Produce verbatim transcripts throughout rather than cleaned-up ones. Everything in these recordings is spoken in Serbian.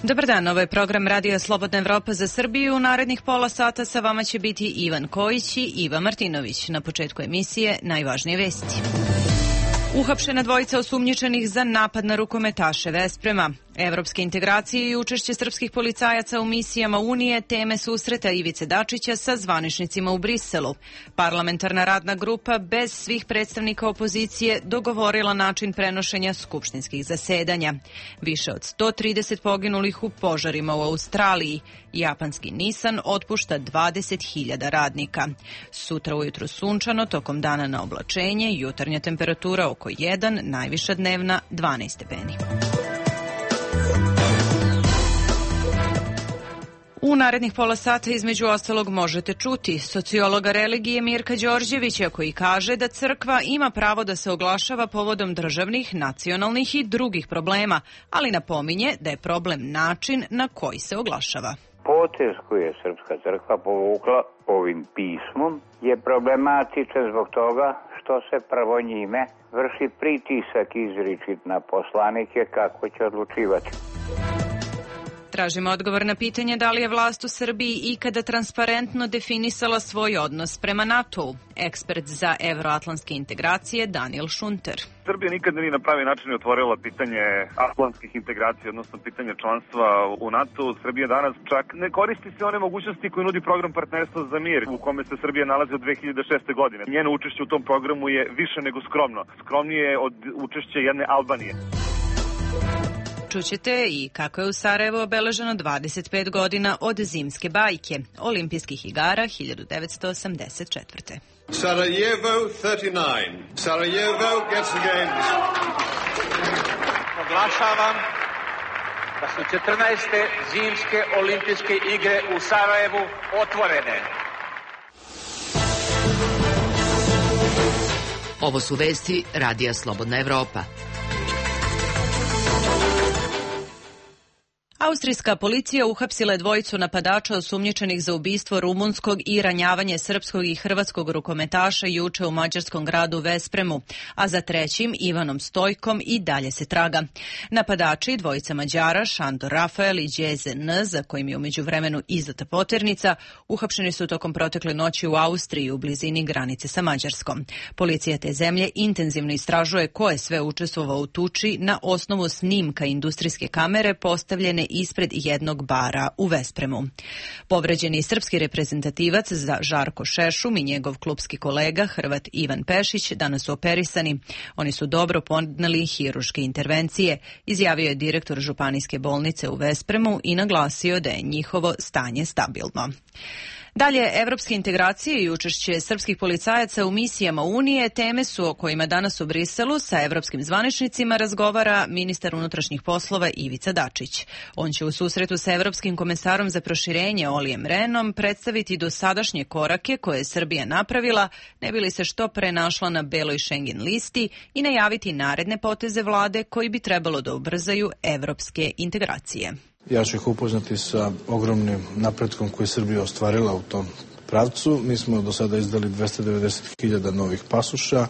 Dobar dan, ovo je program Radija Slobodna Evropa za Srbiju. U narednih pola sata sa vama će biti Ivan Kojić i Iva Martinović. Na početku emisije najvažnije vesti. Uhapšena dvojica osumnjičenih za napad na rukometaše Vesprema. Evropske integracije i učešće srpskih policajaca u misijama Unije teme susreta Ivice Dačića sa zvaničnicima u Briselu. Parlamentarna radna grupa bez svih predstavnika opozicije dogovorila način prenošenja skupštinskih zasedanja. Više od sto trideset poginulih u požarima u Australiji. Japanski Nissan otpušta dvadeset hiljada radnika. Sutra ujutru sunčano, tokom dana na oblačenje, jutarnja temperatura oko jedan, najviša dnevna dvanaest stepeni. U narednih pola sata između ostalog možete čuti sociologa religije Mirka Đorđevića koji kaže da crkva ima pravo da se oglašava povodom državnih, nacionalnih i drugih problema, ali napominje da je problem način na koji se oglašava. Potez koji je Srpska crkva povukla ovim pismom je problematičan zbog toga što se prvo njime vrši pritisak izričit na poslanike kako će odlučivati. Tražimo odgovor na pitanje da li je vlast u Srbiji ikada transparentno definisala svoj odnos prema NATO-u. Ekspert za evroatlantske integracije Daniel Šunter. Srbija nikada nije na pravi način otvorila pitanje atlantskih integracija, odnosno pitanje članstva u NATO. Srbija danas čak ne koristi se one mogućnosti koje nudi program partnerstva za mir, u kome se Srbija nalazi od dve hiljade šeste. godine. Njeno učešće u tom programu je više nego skromno. Skromnije je od učešća jedne Albanije. Čućete i kako je u Sarajevu obeleženo dvadeset pet godina od zimske bajke, olimpijskih igara hiljadu devetsto osamdeset četvrte. Sarajevo trideset devet. Sarajevo gets the games. Oglašavam da su četrnaeste zimske olimpijske igre u Sarajevu otvorene. Ovo su vesti Radija Slobodna Evropa. Austrijska policija uhapsila je dvojicu napadača osumnjičenih za ubistvo rumunskog i ranjavanje srpskog i hrvatskog rukometaša juče u mađarskom gradu Vespremu, a za trećim Ivanom Stojkom i dalje se traga. Napadači, dvojica Mađara, Šandor Rafael i Đeze N, za kojim je u međuvremenu izdata poternica, uhapšeni su tokom protekle noći u Austriji u blizini granice sa Mađarskom. Policija te zemlje intenzivno istražuje ko je sve učestvovao u tuči na osnovu snimka industrijske kamere postavljene ispred jednog bara u Vespremu. Povređeni srpski reprezentativac za Žarko Šešum i njegov klupski kolega Hrvat Ivan Pešić danas su operisani. Oni su dobro podneli hiruške intervencije, izjavio je direktor županijske bolnice u Vespremu i naglasio da je njihovo stanje stabilno. Dalje, evropske integracije i učešće srpskih policajaca u misijama Unije teme su o kojima danas u Briselu sa evropskim zvaničnicima razgovara ministar unutrašnjih poslova Ivica Dačić. On će u susretu sa evropskim komesarom za proširenje Olijem Rehnom predstaviti dosadašnje korake koje je Srbija napravila, ne bi li se što pre našla na beloj Schengen listi i najaviti naredne poteze vlade koji bi trebalo da ubrzaju evropske integracije. Ja ću ih upoznati sa ogromnim napretkom koji je Srbija ostvarila u tom pravcu. Mi smo do sada izdali dvesta devedeset hiljada novih pasoša.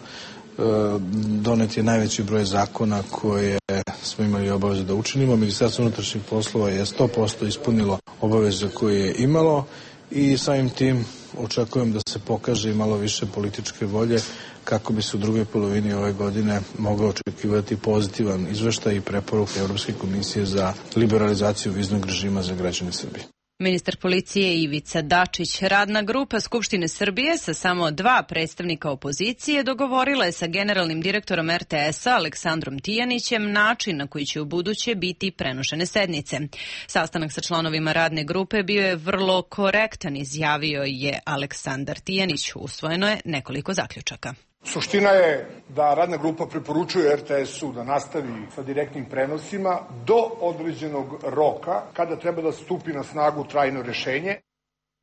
Donet je najveći broj zakona koje smo imali obaveze da učinimo. Ministarstvo unutrašnjih poslova je sto posto ispunilo obaveze koje je imalo i samim tim očekujem da se pokaže i malo više političke volje kako bi se u drugoj polovini ove godine mogao očekivati pozitivan izveštaj i preporuke Evropske komisije za liberalizaciju viznog režima za građane Srbije. Ministar policije Ivica Dačić. Radna grupa Skupštine Srbije sa samo dva predstavnika opozicije dogovorila je sa generalnim direktorom er te es a Aleksandrom Tijanićem način na koji će u buduće biti prenošene sednice. Sastanak sa članovima radne grupe bio je vrlo korektan, izjavio je Aleksandar Tijanić. Usvojeno je nekoliko zaključaka. Suština je da radna grupa preporučuje er te es-u da nastavi sa direktnim prenosima do određenog roka kada treba da stupi na snagu trajno rešenje.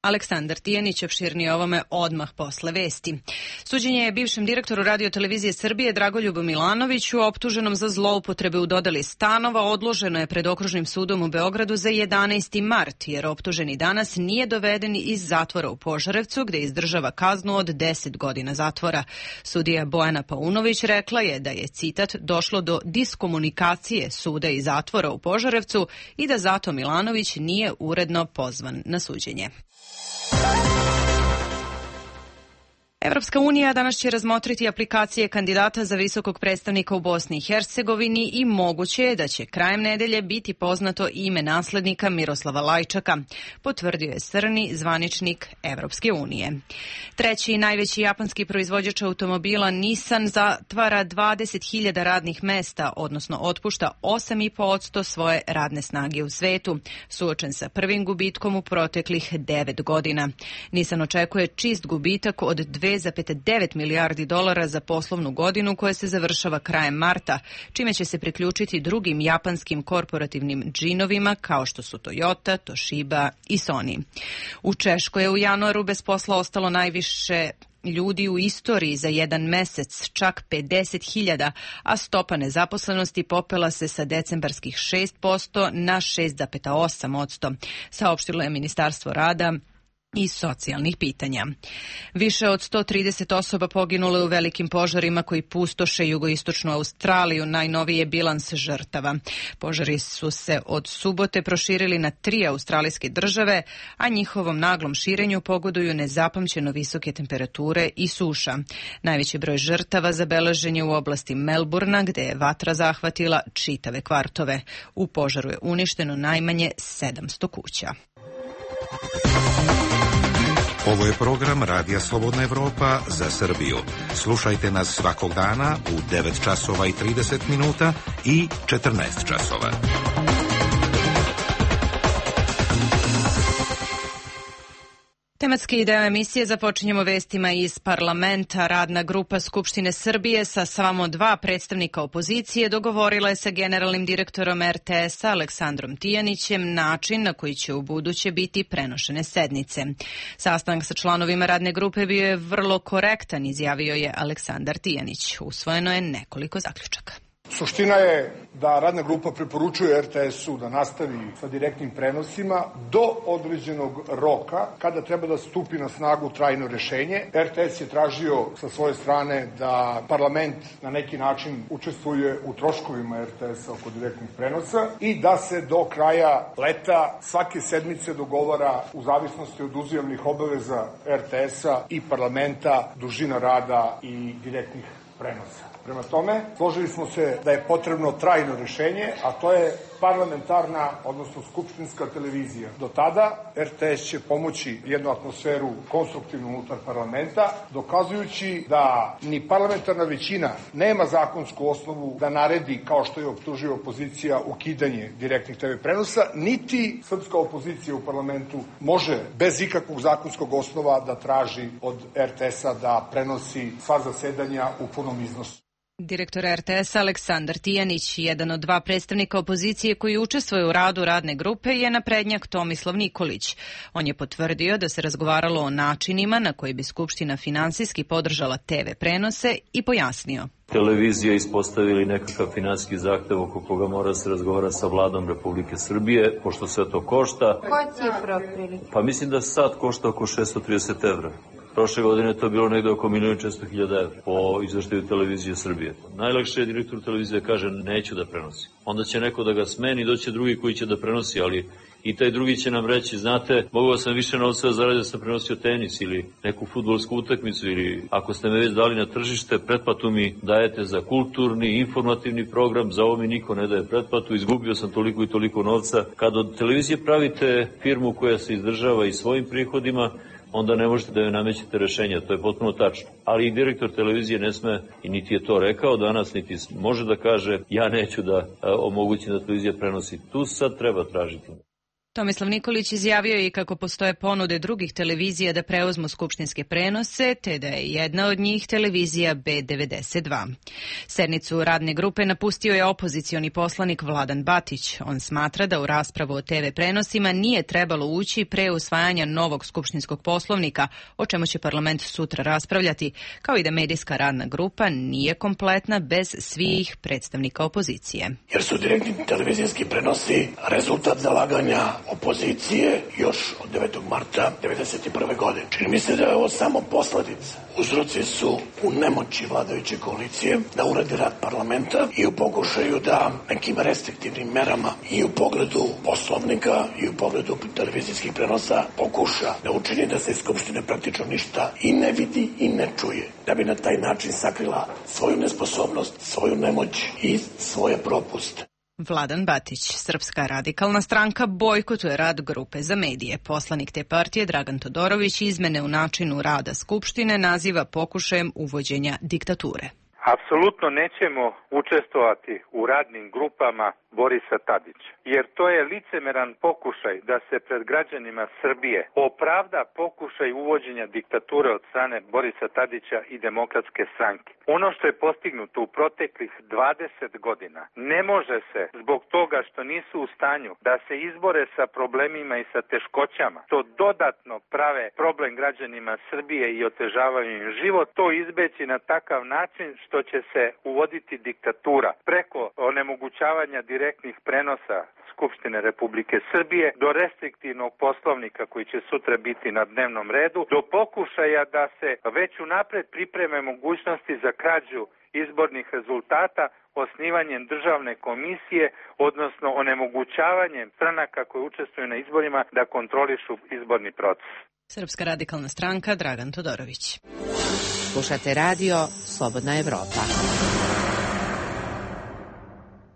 Aleksandar Tijanić opširnije ovome odmah posle vesti. Suđenje je bivšem direktoru Radio-televizije Srbije Dragoljubu Milanoviću, optuženom za zloupotrebe u dodeli stanova, odloženo je pred Okružnim sudom u Beogradu za jedanaesti mart, jer optuženi danas nije doveden iz zatvora u Požarevcu, gde izdržava kaznu od deset godina zatvora. Sudija Bojana Paunović rekla je da je, citat, došlo do diskomunikacije suda i zatvora u Požarevcu i da zato Milanović nije uredno pozvan na suđenje. Evropska unija danas će razmotriti aplikacije kandidata za visokog predstavnika u Bosni i Hercegovini i moguće je da će krajem nedelje biti poznato ime naslednika Miroslava Lajčaka, potvrdio je strani zvaničnik Evropske unije. Treći i najveći japanski proizvođač automobila Nissan zatvara dvadeset hiljada radnih mesta, odnosno otpušta osam zarez pet posto svoje radne snage u svetu, suočen sa prvim gubitkom u proteklih devet godina. Nissan očekuje čist gubitak od dve zarez devet milijardi dolara za poslovnu godinu koja se završava krajem marta, čime će se priključiti drugim japanskim korporativnim džinovima kao što su Toyota, Toshiba i Sony. U Češkoj je u januaru bez posla ostalo najviše ljudi u istoriji za jedan mesec, čak pedeset hiljada, a stopa nezaposlenosti popela se sa decembarskih šest posto na šest zarez osam posto, saopštilo je Ministarstvo rada i socijalnih pitanja. Više od sto trideset osoba poginulo je u velikim požarima koji pustoše jugoistočnu Australiju, najnoviji je bilans žrtava. Požari su se od subote proširili na tri australijske države, a njihovom naglom širenju pogoduju nezapamćeno visoke temperature i suša. Najveći broj žrtava zabeležen je u oblasti Melburna, gde je vatra zahvatila čitave kvartove. U požaru je uništeno najmanje sedamsto kuća. Ovo je program Radija Slobodna Evropa za Srbiju. Slušajte nas svakog dana u devet časova i trideset minuta i četrnaest časova. Tematski deo emisije započinjemo vestima iz parlamenta. Radna grupa Skupštine Srbije sa samo dva predstavnika opozicije dogovorila je sa generalnim direktorom er te es-a Aleksandrom Tijanićem način na koji će u buduće biti prenošene sednice. Sastanak sa članovima radne grupe bio je vrlo korektan, izjavio je Aleksandar Tijanić. Usvojeno je nekoliko zaključaka. Suština je da radna grupa preporučuje er te es-u da nastavi sa direktnim prenosima do određenog roka kada treba da stupi na snagu trajno rešenje. er te es je tražio sa svoje strane da parlament na neki način učestvuje u troškovima er te es-a oko direktnih prenosa i da se do kraja leta svake sedmice dogovara u zavisnosti od uzajamnih obaveza er te es-a i parlamenta dužina rada i direktnih prenosa. Prema tome, složili smo se da je potrebno trajno rešenje, a to je parlamentarna, odnosno skupštinska televizija. Do tada er te es će pomoći jednu atmosferu konstruktivnu unutar parlamenta, dokazujući da ni parlamentarna većina nema zakonsku osnovu da naredi, kao što je optužio opozicija, ukidanje direktnih te ve prenosa, niti srpska opozicija u parlamentu može bez ikakvog zakonskog osnova da traži od er te es-a da prenosi sva zasedanja u punom iznosu. Direktor er te es-a Aleksandar Tijanić, jedan od dva predstavnika opozicije koji učestvuje u radu radne grupe, je naprednjak Tomislav Nikolić. On je potvrdio da se razgovaralo o načinima na koji bi Skupština finansijski podržala te ve prenose i pojasnio. Televizija ispostavili nekakav finansijski zahtev oko koga mora se razgovara sa vladom Republike Srbije, pošto sve to košta. Koja cifra otprilike? Pa mislim da sad košta oko šesto trideset evra. Prošle godine je to bilo negde oko milion četiristo hiljada evra po izveštaju Televizije Srbije. Najlakše je direktor televizije kaže neću da prenosi. Onda će neko da ga smeni, doće drugi koji će da prenosi, ali i taj drugi će nam reći, znate, mogao sam više novca da zaradim da sam prenosio tenis ili neku fudbalsku utakmicu ili ako ste me već dali na tržište, pretplatu mi dajete za kulturni, informativni program, za ovo mi niko ne daje pretplatu, izgubio sam toliko i toliko novca. Kad od televizije pravite firmu koja se izdržava i svojim prihodima, onda ne možete da joj namećete rešenja, to je potpuno tačno. Ali i direktor televizije ne sme, i niti je to rekao danas, niti može da kaže ja neću da omogućim da televizija prenosi. Tu sad treba tražiti. Tomislav Nikolić izjavio je i kako postoje ponude drugih televizija da preuzmu skupštinske prenose, te da je jedna od njih televizija B devedeset dva. Sednicu radne grupe napustio je opozicioni poslanik Vladan Batić. On smatra da u raspravu o te ve prenosima nije trebalo ući pre usvajanja novog skupštinskog poslovnika, o čemu će parlament sutra raspravljati, kao i da medijska radna grupa nije kompletna bez svih predstavnika opozicije. Jer su direktni televizijski prenosi rezultat zalaganja opozicije još od devetog marta devedeset prve. godine. Čini mi se da je ovo samo posledica. Uzroci su u nemoći vladajuće koalicije da uradi rad parlamenta i u pokušaju da nekim restriktivnim merama i u pogledu poslovnika i u pogledu televizijskih prenosa pokuša da učini da se iz Skupštine praktično ništa i ne vidi i ne čuje. Da bi na taj način sakrila svoju nesposobnost, svoju nemoć i svoje propuste. Vladan Batić, Srpska radikalna stranka, bojkotuje rad grupe za medije. Poslanik te partije Dragan Todorović izmene u načinu rada Skupštine naziva pokušajem uvođenja diktature. Apsolutno nećemo učestvovati u radnim grupama Borisa Tadića, jer to je licemeran pokušaj da se pred građanima Srbije opravda pokušaj uvođenja diktature od strane Borisa Tadića i Demokratske stranke. Ono što je postignuto u proteklih dvadeset godina ne može se zbog toga što nisu u stanju da se izbore sa problemima i sa teškoćama, to dodatno prave problem građanima Srbije i otežavaju im život, to izbeći na takav način što će se uvoditi diktatura preko onemogućavanja direktnih prenosa Skupštine Republike Srbije do restriktivnog poslovnika koji će sutra biti na dnevnom redu, do pokušaja da se već unapred pripreme mogućnosti za krađu izbornih rezultata osnivanjem državne komisije, odnosno onemogućavanjem stranaka koje učestvuju na izborima da kontrolišu izborni proces. Srpska radikalna stranka, Dragan Todorović. Slušate radio Slobodna Evropa.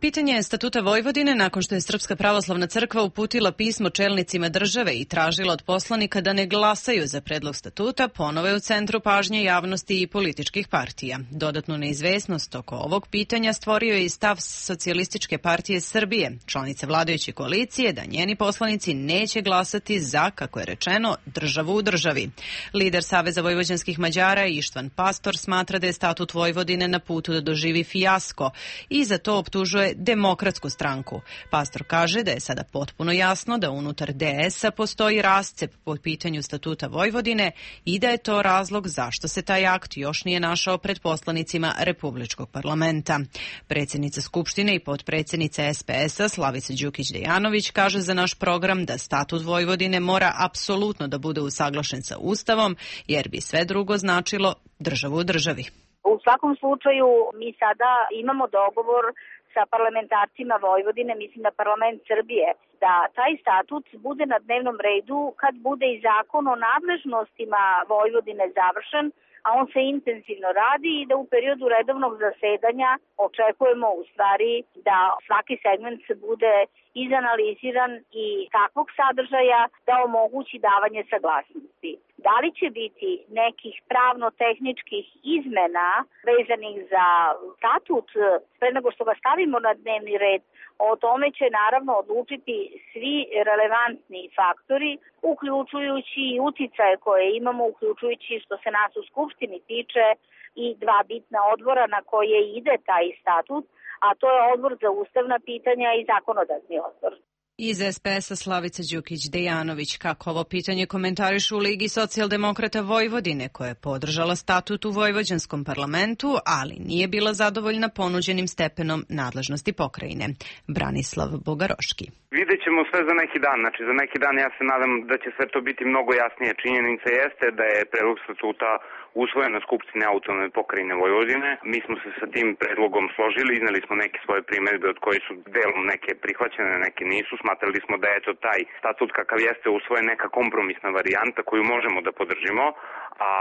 Pitanje je statuta Vojvodine nakon što je Srpska pravoslavna crkva uputila pismo čelnicima države i tražila od poslanika da ne glasaju za predlog statuta, ponovo je u centru pažnje javnosti i političkih partija. Dodatnu neizvesnost oko ovog pitanja stvorio je i stav Socijalističke partije Srbije, članice vladajuće koalicije, da njeni poslanici neće glasati za, kako je rečeno, državu u državi. Lider Saveza vojvođanskih Mađara Ištvan Pastor smatra da je statut Vojvodine na putu da doživi fijasko i za to optužuje Demokratsku stranku. Pastor kaže da je sada potpuno jasno da unutar de es-a postoji rascep po pitanju statuta Vojvodine i da je to razlog zašto se taj akt još nije našao pred poslanicima Republičkog parlamenta. Predsjednica Skupštine i potpredsjednica es pe es-a Slavica Đukić-Dejanović kaže za naš program da statut Vojvodine mora apsolutno da bude usaglašen sa Ustavom, jer bi sve drugo značilo državu u državi. U svakom slučaju mi sada imamo dogovor sa parlamentarcima Vojvodine, mislim na parlament Srbije, da taj statut bude na dnevnom redu kad bude i zakon o nadležnostima Vojvodine završen, a on se intenzivno radi i da u periodu redovnog zasedanja očekujemo u stvari da svaki segment se bude izanaliziran i takvog sadržaja da omogući davanje saglasnosti. Da li će biti nekih pravno-tehničkih izmena vezanih za statut pre nego što ga stavimo na dnevni red, o tome će naravno odlučiti svi relevantni faktori, uključujući i uticaje koje imamo, uključujući što se nas u Skupštini tiče i dva bitna odbora na koje ide taj statut, a to je odbor za ustavna pitanja i zakonodavni odbor. Iz es pe es-a Slavica Đukić-Dejanović, kako ovo pitanje komentarišu u Ligi socijaldemokrata Vojvodine, koja je podržala statut u vojvođanskom parlamentu, ali nije bila zadovoljna ponuđenim stepenom nadležnosti pokrajine. Branislav Bogaroški. Vidjet ćemo sve za neki dan. Znači, za neki dan ja se nadam da će sve to biti mnogo jasnije. Činjenica jeste da je predlog statuta usvojen na Skupštini autonomne pokrajine Vojvodine. Mi smo se sa tim predlogom složili, izneli smo neke svoje primedbe od koje su delom neke prihvaćene, neke nisu. Smatrali smo da je to taj statut kakav jeste usvojen neka kompromisna varijanta koju možemo da podržimo, a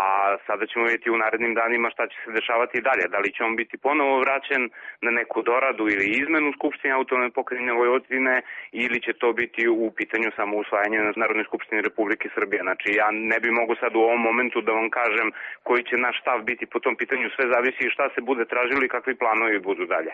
sada ćemo vidjeti u narednim danima šta će se dešavati i dalje. Da li će on biti ponovo vraćen na neku doradu ili izmenu Skupštine autonomne pokrajine Vojvodine ili će to biti u pitanju samo usvajanje na Narodnoj skupštini Republike Srbije. Znači, ja ne bi mogu sad u ovom momentu da vam kažem koji će naš stav biti po tom pitanju, sve zavisi šta se bude tražilo i kakvi planovi budu dalje.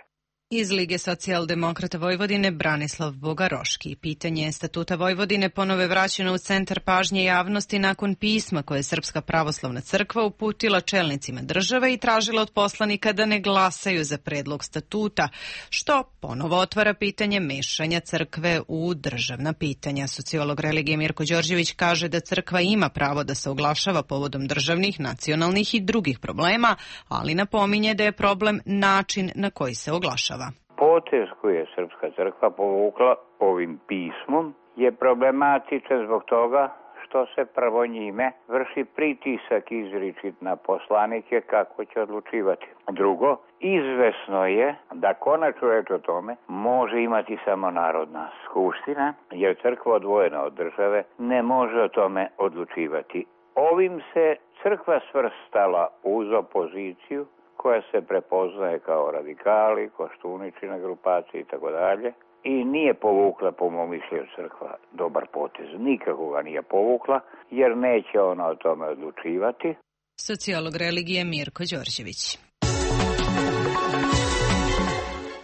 Iz Lige socijaldemokrata Vojvodine Branislav Bogaroški. Pitanje statuta Vojvodine ponove vraćeno u centar pažnje javnosti nakon pisma koje je Srpska pravoslavna crkva uputila čelnicima države i tražila od poslanika da ne glasaju za predlog statuta, što ponovo otvara pitanje mešanja crkve u državna pitanja. Sociolog religije Mirko Đorđević kaže da crkva ima pravo da se oglašava povodom državnih, nacionalnih i drugih problema, ali napominje da je problem način na koji se oglašava. Potez koji je Srpska crkva povukla ovim pismom je problematičan zbog toga što se prvo njime vrši pritisak izričit na poslanike kako će odlučivati. Drugo, izvesno je da konačnu reč o tome može imati samo Narodna skupština, jer crkva odvojena od države ne može o tome odlučivati. Ovim se crkva svrstala uz opoziciju koja se prepoznaje kao radikali, Koštuničina grupacija i tako dalje. I nije povukla, po mom mišljenju, crkva dobar potez. Nikako ga nije povukla, jer neće ona o tome odlučivati. Sociolog religije Mirko Đorđević.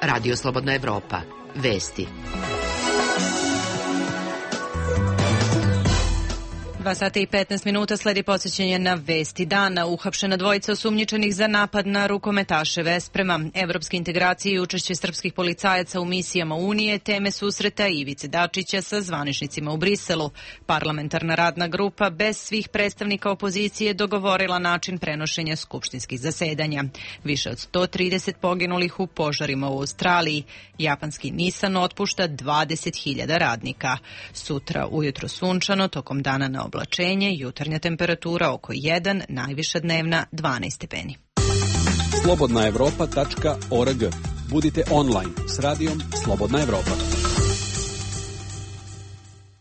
Radio Slobodna Evropa. Vesti. Dva sata i petnaest minuta sledi podsjećanje na vesti dana. Uhapšena dvojica osumnjičenih za napad na rukometaše Vesprema. Evropske integracije i učešće srpskih policajaca u misijama Unije teme susreta Ivice Dačića sa zvaničnicima u Briselu. Parlamentarna radna grupa bez svih predstavnika opozicije dogovorila način prenošenja skupštinskih zasedanja. Više od sto trideset poginulih u požarima u Australiji. Japanski Nissan otpušta dvadeset hiljada radnika. Sutra ujutro sunčano, tokom dana na oblačenje, jutarnja temperatura oko jedan, najviša dnevna dvanaest stepeni. slobodna evropa tačka org. Budite online s radijom Slobodna Evropa.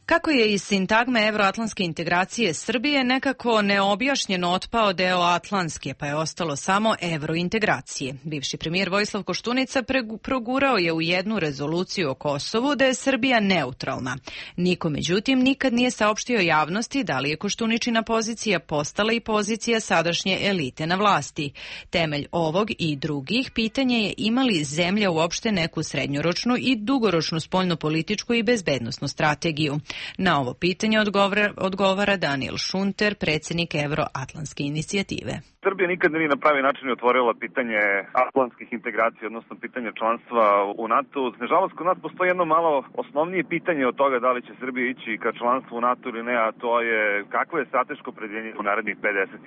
Kako je iz sintagme evroatlantske integracije Srbije nekako neobjašnjeno otpao deo atlantske, pa je ostalo samo evrointegracije. Bivši premijer Vojislav Koštunica progurao je u jednu rezoluciju o Kosovu da je Srbija neutralna. Niko, međutim, nikad nije saopštio javnosti da li je Koštuničina pozicija postala i pozicija sadašnje elite na vlasti. Temelj ovog i drugih pitanja je ima li zemlja uopšte neku srednjoročnu i dugoročnu spoljnopolitičku i bezbednosnu strategiju. Na ovo pitanje odgovara, odgovara Daniel Šunter, predsjednik Evroatlantske inicijative. Srbija nikad nije na pravi način otvorila pitanje atlantskih integracija, odnosno pitanje članstva u NATO. Nažalost, kod nas postoji jedno malo osnovnije pitanje od toga da li će Srbija ići ka članstvu u NATO ili ne, a to je kakvo je strateško opredjeljenje u narednih pedeset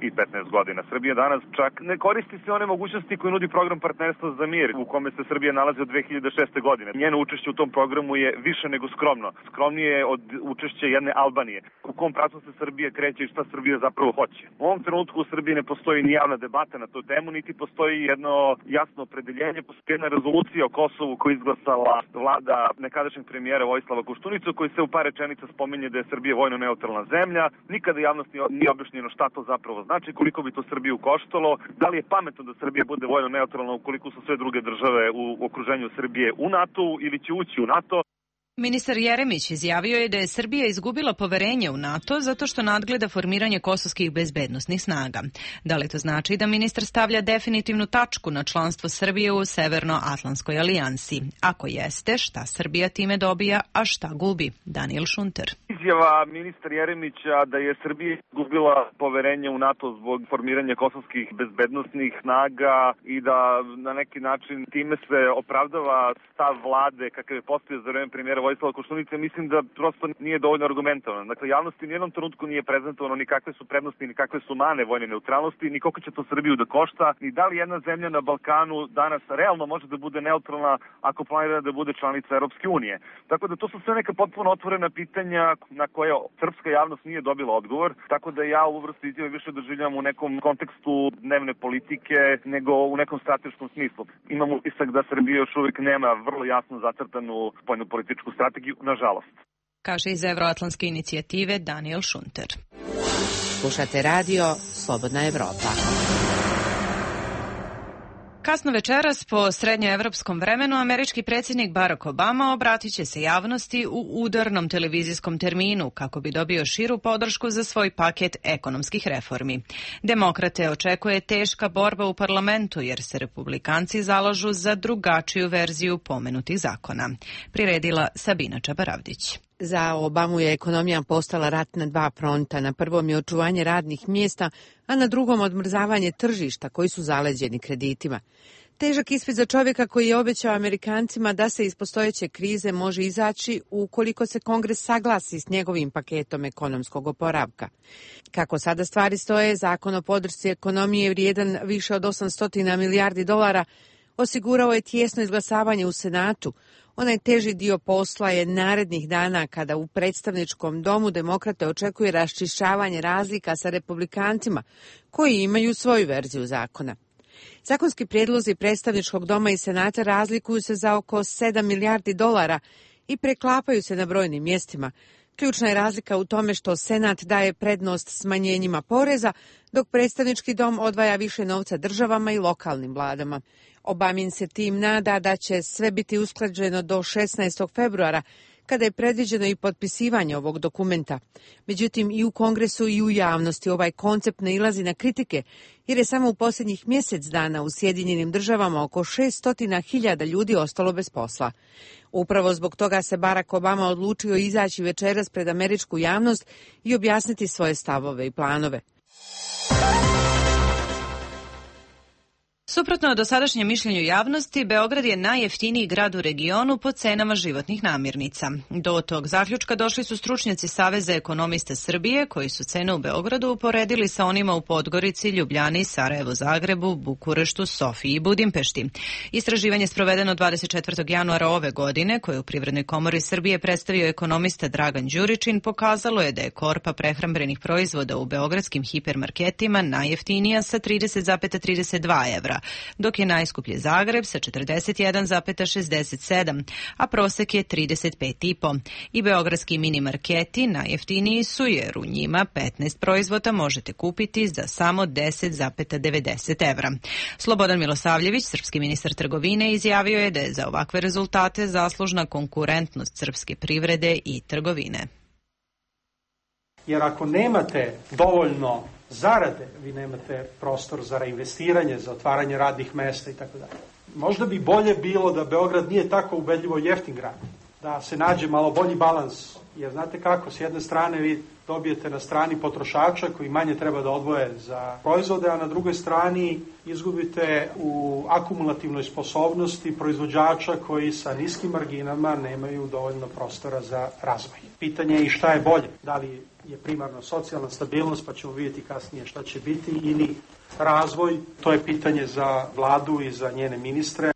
i petnaest godina. Srbija danas čak ne koristi sve one mogućnosti koje nudi program partnerstva za mir, u kome se Srbija nalazi od dve hiljade šeste. godine. Njeno učešće u tom programu je više nego skromno. Skromnije je od učešća jedne Albanije. U kom pravcu se Srbija kreće i šta Srbija zapravo hoće. U ovom trenutku u Srbiji ne postoji ni javna debata na tu temu, niti postoji jedno jasno opredeljenje, postoji jedna rezolucija o Kosovu koju izglasala vlada nekadašnjeg premijera Vojislava Koštunicu, koji se u par rečenica spominje da je Srbija vojno neutralna zemlja. Nikada javnosti nije objašnjeno šta to zapravo znači, koliko bi to Srbiju koštalo, da li je pametno da Srbija bude vojno neutralna ukoliko su sve druge države u okruženju Srbije u NATO ili će ući u NATO. Ministar Jeremić izjavio je da je Srbija izgubila poverenje u NATO zato što nadgleda formiranje kosovskih bezbednosnih snaga. Da li to znači da ministar stavlja definitivnu tačku na članstvo Srbije u Severnoatlantskoj alijansi? Ako jeste, šta Srbija time dobija, a šta gubi? Daniel Šunter. Izjava ministar Jeremića da je Srbija izgubila poverenje u NATO zbog formiranja kosovskih bezbednosnih snaga i da na neki način time se opravdava stav vlade kakav je postavio za vreme premijera Vojislava Koštunice, mislim da prosto nije dovoljno argumentovano. Dakle, javnosti u nijednom trenutku nije prezentovano ni kakve su prednosti, ni kakve su mane vojne neutralnosti, ni koliko će to Srbiju da košta, ni da li jedna zemlja na Balkanu danas realno može da bude neutralna ako planira da bude članica Europske unije. Tako da to su sve neka potpuno otvorena pitanja na koje srpska javnost nije dobila odgovor, tako da ja ovu vrstu izjave više doživljavam u nekom kontekstu dnevne politike nego u nekom strateškom smislu. Imam utisak da Srbija još uvijek nema vrlo jasno zacrtanu spoljnopolitičku strategiju, nažalost. Kaže iz Evroatlantske inicijative Daniel Šunter. Slušate radio Slobodna Evropa. Kasno večeras po srednjoevropskom vremenu američki predsjednik Barack Obama obratit će se javnosti u udarnom televizijskom terminu kako bi dobio širu podršku za svoj paket ekonomskih reformi. Demokrate očekuje teška borba u parlamentu jer se republikanci zalažu za drugačiju verziju pomenutih zakona. Priredila Sabina Čabaravdić. Za Obamu je ekonomija postala rat na dva fronta. Na prvom je očuvanje radnih mjesta, a na drugom odmrzavanje tržišta koji su zaleđeni kreditima. Težak ispit za čovjeka koji je obećao Amerikancima da se iz postojeće krize može izaći ukoliko se Kongres saglasi s njegovim paketom ekonomskog oporavka. Kako sada stvari stoje, zakon o podršci ekonomije vrijedan više od osamsto milijardi dolara osigurao je tijesno izglasavanje u Senatu. Onaj teži dio posla je narednih dana kada u predstavničkom domu demokrate očekuje raščišćavanje razlika sa republikancima koji imaju svoju verziju zakona. Zakonski prijedlozi predstavničkog doma i Senata razlikuju se za oko sedam milijardi dolara i preklapaju se na brojnim mjestima. Ključna je razlika u tome što Senat daje prednost smanjenjima poreza, dok predstavnički dom odvaja više novca državama i lokalnim vladama. Obamin se tim nada da će sve biti usklađeno do šesnaestog februara, kada je predviđeno i potpisivanje ovog dokumenta. Međutim, i u Kongresu i u javnosti ovaj koncept nailazi na kritike, jer je samo u posljednjih mjesec dana u Sjedinjenim državama oko šesto hiljada ljudi ostalo bez posla. Upravo zbog toga se Barack Obama odlučio izaći večeras pred američku javnost i objasniti svoje stavove i planove. Suprotno dosadašnjem mišljenju javnosti, Beograd je najjeftiniji grad u regionu po cenama životnih namirnica. Do tog zaključka došli su stručnjaci Saveza ekonomista Srbije, koji su cene u Beogradu uporedili sa onima u Podgorici, Ljubljani, Sarajevu, Zagrebu, Bukureštu, Sofiji i Budimpešti. Istraživanje sprovedeno dvadeset četvrtog januara ove godine, koje u Privrednoj komori Srbije predstavio ekonomista Dragan Đuričin, pokazalo je da je korpa prehrambenih proizvoda u beogradskim hipermarketima najjeftinija sa trideset zarez trideset dva evra, dok je najskuplji Zagreb sa četrdeset jedan zarez šezdeset sedam, a prosek je trideset pet zarez pet. I beogradski mini marketi najjeftiniji su jer u njima petnaest proizvoda možete kupiti za samo deset zarez devedeset evra. Slobodan Milosavljević, srpski ministar trgovine, izjavio je da je za ovakve rezultate zaslužna konkurentnost srpske privrede i trgovine. Jer ako nemate dovoljno zarade, vi nemate prostor za reinvestiranje, za otvaranje radnih mesta i tako dalje. Možda bi bolje bilo da Beograd nije tako ubedljivo jeftin grad, da se nađe malo bolji balans, jer znate kako, s jedne strane vi dobijete na strani potrošača koji manje treba da odvoje za proizvode, a na drugoj strani izgubite u akumulativnoj sposobnosti proizvođača koji sa niskim marginama nemaju dovoljno prostora za razvoj. Pitanje je i šta je bolje, da li je primarno socijalna stabilnost, pa ćemo vidjeti kasnije šta će biti, ili razvoj, to je pitanje za vladu i za njene ministre.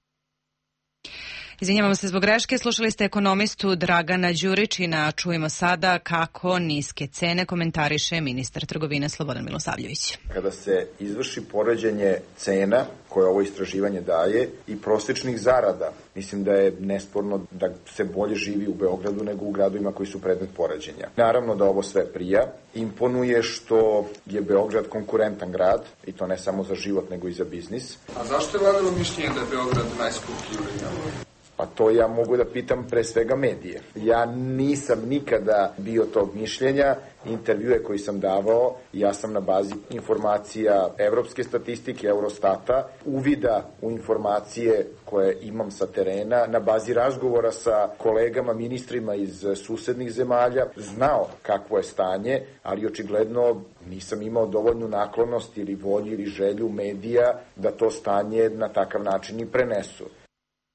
Izvinjavamo se zbog greške, slušali ste ekonomistu Dragana Đuričina. Čujemo sada kako niske cene komentariše ministar trgovine Slobodan Milosavljević. Kada se izvrši poređenje cena koje ovo istraživanje daje i prosječnih zarada, mislim da je nesporno da se bolje živi u Beogradu nego u gradovima koji su predmet poređenja. Naravno da ovo sve prija. Imponuje što je Beograd konkurentan grad, i to ne samo za život nego i za biznis. A zašto je vladalo mišljenje da je Beograd najskuplji u regionu? Pa to ja mogu da pitam pre svega medije. Ja nisam nikada bio tog mišljenja. Intervjue koji sam davao, ja sam na bazi informacija evropske statistike, Eurostata, uvida u informacije koje imam sa terena, na bazi razgovora sa kolegama, ministrima iz susednih zemalja, znao kakvo je stanje, ali očigledno nisam imao dovoljnu naklonost ili volju ili želju medija da to stanje na takav način i prenesu.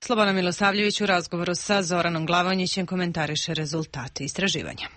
Slobodan Milosavljević u razgovoru sa Zoranom Glavonjićem komentariše rezultate istraživanja.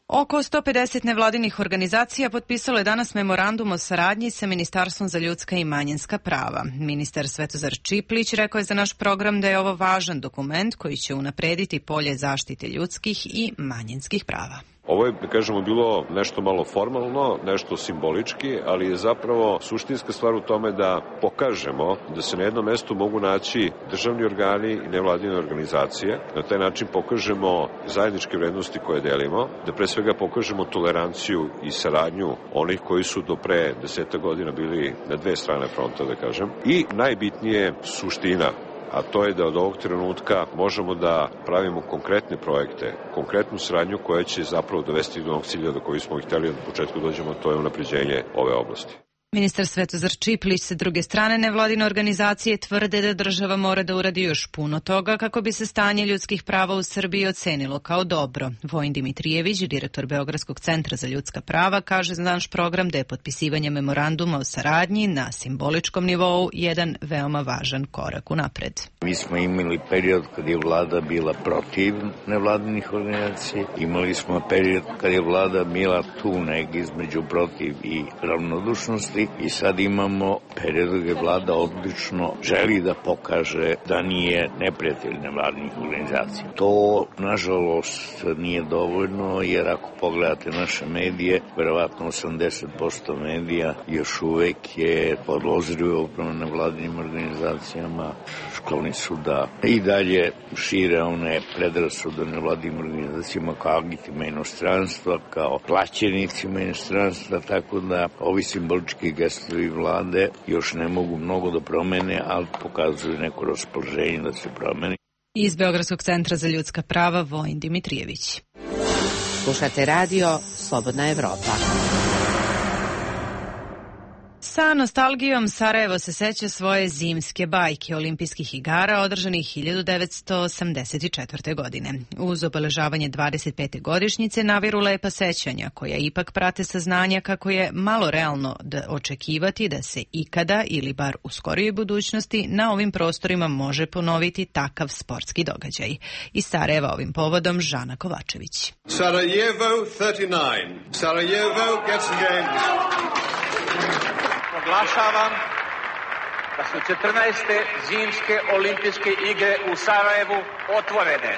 Oko sto pedeset nevladinih organizacija potpisalo je danas memorandum o saradnji sa Ministarstvom za ljudska i manjinska prava. Ministar Svetozar Čiplić rekao je za naš program da je ovo važan dokument koji će unaprediti polje zaštite ljudskih i manjinskih prava. Ovo je, da kažemo, bilo nešto malo formalno, nešto simbolički, ali je zapravo suštinska stvar u tome da pokažemo da se na jednom mestu mogu naći državni organi i nevladine organizacije. Na taj način pokažemo zajedničke vrednosti koje delimo, da pre svega pokažemo toleranciju i saradnju onih koji su do pre deseta godina bili na dve strane fronta, da kažem. I najbitnije suština, a to je da od ovog trenutka možemo da pravimo konkretne projekte, konkretnu saradnju koja će zapravo dovesti do onog cilja do kojeg smo hteli od početka dođemo, to je unapređenje ove oblasti. Ministar Svetozar Čiplić sa druge strane nevladine organizacije tvrde da država mora da uradi još puno toga kako bi se stanje ljudskih prava u Srbiji ocenilo kao dobro. Vojin Dimitrijević, direktor Beogradskog centra za ljudska prava, kaže za naš program da je potpisivanje memoranduma o saradnji na simboličkom nivou jedan veoma važan korak unapred. Mi smo imali period kad je vlada bila protiv nevladinih organizacija, imali smo period kad je vlada bila tu neg između protiv i ravnodušnosti, i sad imamo period gdje vlada odlično želi da pokaže da nije neprijatelj nevladinih organizacija. To, nažalost, nije dovoljno, jer ako pogledate naše medije, verovatno osamdeset posto medija još uvek je podložljivo upravo nevladinim organizacijama. Skloni su da i dalje šire one predrasude nevladinim organizacijama kao agitima inostranstva, kao plaćenicima inostranstva, tako da ovi simbolički gestovi vlade još ne mogu mnogo da promene, ali pokazuju neko raspoloženje da se promeni. Iz Beogradskog centra za ljudska prava Vojin Dimitrijević. Slušate radio Slobodna Evropa. Sa nostalgijom Sarajevo se seća svoje zimske bajke olimpijskih igara održanih hiljadu devetsto osamdeset četvrte. godine. Uz obeležavanje dvadeset pete godišnjice naviru lepa sećanja koja ipak prate saznanja kako je malo realno da očekivati da se ikada ili bar u skorijoj budućnosti na ovim prostorima može ponoviti takav sportski događaj. Iz Sarajeva ovim povodom Žana Kovačević. Sarajevo trideset devet. Sarajevo gets the games. Oglašavam da su četrnaeste zimske olimpijske igre u Sarajevu otvorene.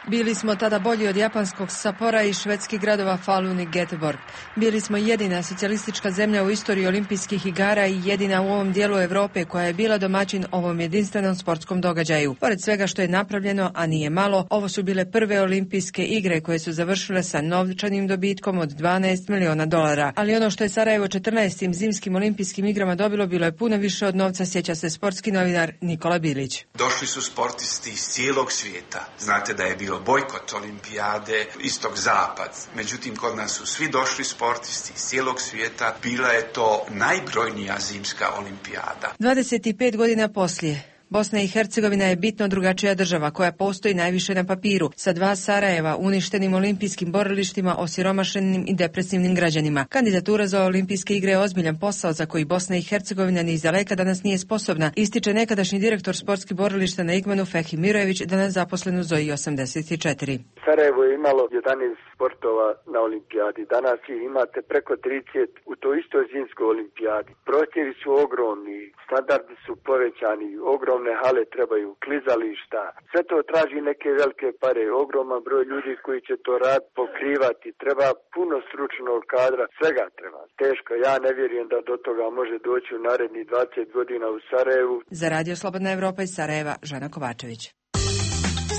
Bili smo tada bolji od japanskog Sapora i švedskih gradova Falun i Göteborg. Bili smo jedina socijalistička zemlja u istoriji olimpijskih igara i jedina u ovom dijelu Evrope koja je bila domaćin ovom jedinstvenom sportskom događaju. Pored svega što je napravljeno, a nije malo, ovo su bile prve olimpijske igre koje su završile sa novčanim dobitkom od dvanaest miliona dolara. Ali ono što je Sarajevo četrnaestim zimskim olimpijskim igrama dobilo bilo je puno više od novca, sjeća se sportski novinar Nikola Bilić. Došli su sportisti iz cijelog svijeta. Znate da je bilo bojkot olimpijade istog-zapad. Međutim, kod nas su svi došli sportisti iz cijelog svijeta. Bila je to najbrojnija zimska olimpijada. dvadeset pet godina poslije. Bosna i Hercegovina je bitno drugačija država koja postoji najviše na papiru, sa dva Sarajeva, uništenim olimpijskim borilištima, osiromašenim i depresivnim građanima. Kandidatura za olimpijske igre je ozbiljan posao za koji Bosna i Hercegovina ni izdaleka danas nije sposobna, ističe nekadašnji direktor sportskih borilišta na Igmanu Fehi Mirojević, danas zaposlen u Zoji osamdeset četiri. Sarajevo je imalo jedanaest sportova na olimpijadi. Danas ih imate preko trideset u toj istoj zimskoj olimpijadi. Prostori su ogromni, standardi su povećani, ogromne hale trebaju, klizališta. Sve to traži neke velike pare, ogroman broj ljudi koji će to rad pokrivati. Treba puno stručnog kadra, svega treba. Teško, ja ne vjerujem da do toga može doći u narednih dvadeset godina u Sarajevu. Za Radio Slobodna Evropa iz Sarajeva, Žana Kovačević.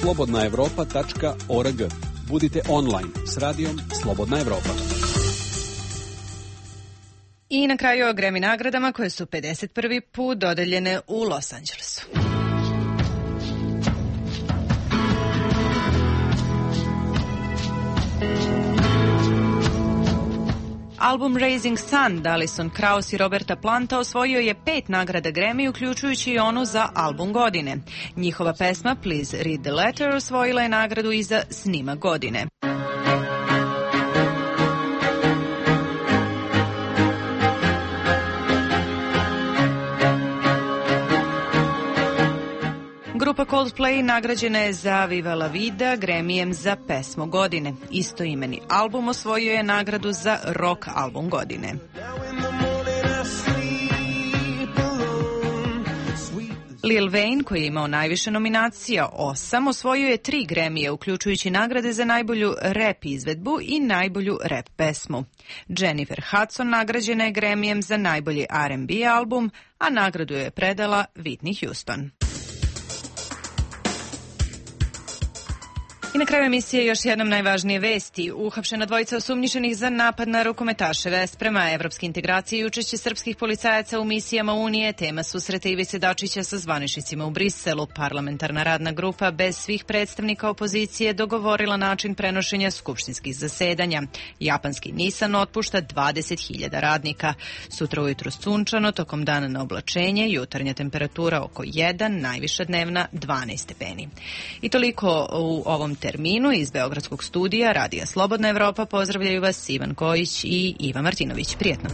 slobodna evropa tačka org. Budite online s radijom Slobodna Evropa. I na kraju o Grammy nagradama koje su pedeset prvi put dodeljene u Los Angelesu. Album Raising Sun Alison Krauss i Roberta Planta osvojio je pet nagrada Grammy, uključujući i onu za album godine. Njihova pesma Please Read the Letter osvojila je nagradu i za snimak godine. Grupa Coldplay nagrađena je za Viva la Vida Grammyjem za pesmu godine. Istoimeni album osvojio je nagradu za rock album godine. Lil Wayne, koji je imao najviše nominacija, osam, osvojio je tri Grammy-e, uključujući nagrade za najbolju rap izvedbu i najbolju rap pesmu. Jennifer Hudson nagrađena je Grammy-em za najbolji R and B album, a nagradu je predala Whitney Houston. I na kraju emisije još jednom najvažnije vesti. Uhapšena dvojica osumnjičenih za napad na rukometaše Vesprema, evropske integracije i učešće srpskih policajaca u misijama Unije, tema susreta Ivice Dačića sa zvaničnicima u Briselu. Parlamentarna radna grupa bez svih predstavnika opozicije dogovorila način prenošenja skupštinskih zasedanja. Japanski Nissan otpušta dvadeset hiljada radnika. Sutra ujutro sunčano, tokom dana na oblačenje, jutarnja temperatura oko jedan, najviša dnevna dvanaest stepeni. I toliko u ovom terminu iz Beogradskog studija Radija Slobodna Evropa. Pozdravljaju vas Ivan Kojić i Iva Martinović. Prijetno.